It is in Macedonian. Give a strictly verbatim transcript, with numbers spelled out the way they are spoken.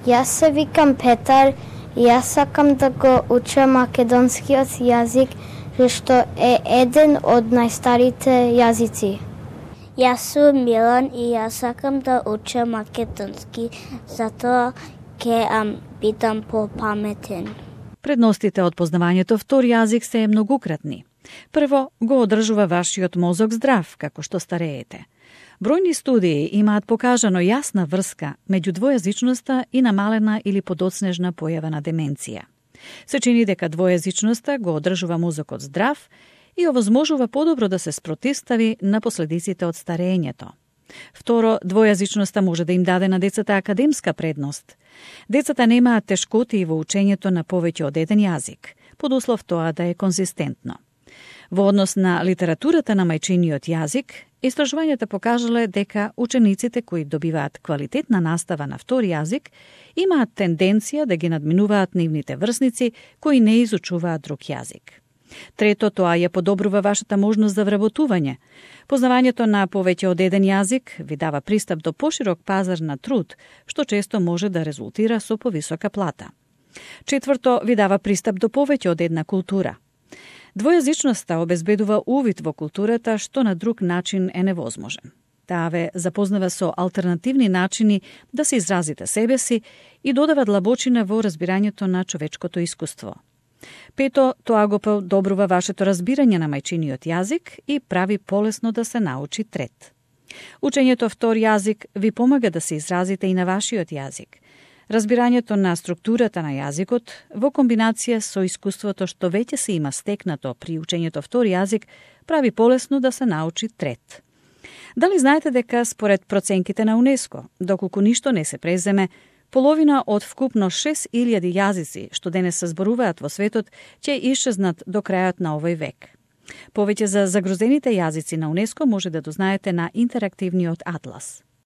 Јас се викам Петар и јас сакам да го учам македонскиот јазик, што е еден од најстарите јазици. Јас сум Милан и јас сакам да учам македонски, затоа ќе ам бидам попаметен. Предностите од познавањето втор јазик се многократни. Прво, го одржува вашиот мозок здрав како што стареете. Бројни студии имаат покажано јасна врска меѓу двојазичноста и намалена или подоцнежна појава на деменција. Се чини дека двојазичноста го одржува мозокот здрав и овозможува подобро да се спротивстави на последиците од старењето. Второ, двојазичноста може да им даде на децата академска предност. Децата немаат тешкоти во учењето на повеќе од еден јазик, под услов тоа да е конзистентно. Во однос на литературата на мајчиниот јазик, истражувањата покажале дека учениците кои добиваат квалитетна настава на втор јазик имаат тенденција да ги надминуваат нивните врсници кои не изучуваат друг јазик. Трето, тоа ја подобрува вашата можност за вработување. Познавањето на повеќе од еден јазик ви дава пристап до поширок пазар на труд, што често може да резултира со повисока плата. Четврто, ви дава пристап до повеќе од една култура. Двојазичноста обезбедува увид во културата што на друг начин е невозможен. Таа ве запознава со алтернативни начини да се изразите себе си и додава длабочина во разбирањето на човечкото искуство. Пето, тоа го подобрува вашето разбирање на мајчиниот јазик и прави полесно да се научи трет. Учењето втор јазик ви помага да се изразите и на вашиот јазик. Разбирањето на структурата на јазикот во комбинација со искуството што веќе се има стекнато при учењето втор јазик прави полесно да се научи трет. Дали знаете дека според проценките на УНЕСКО, доколку ништо не се преземе, половина од вкупно шест илјади јазици што денес се зборуваат во светот ќе исчезнат до крајот на овој век. Повеќе за загрозените јазици на УНЕСКО може да дознаете на интерактивниот атлас.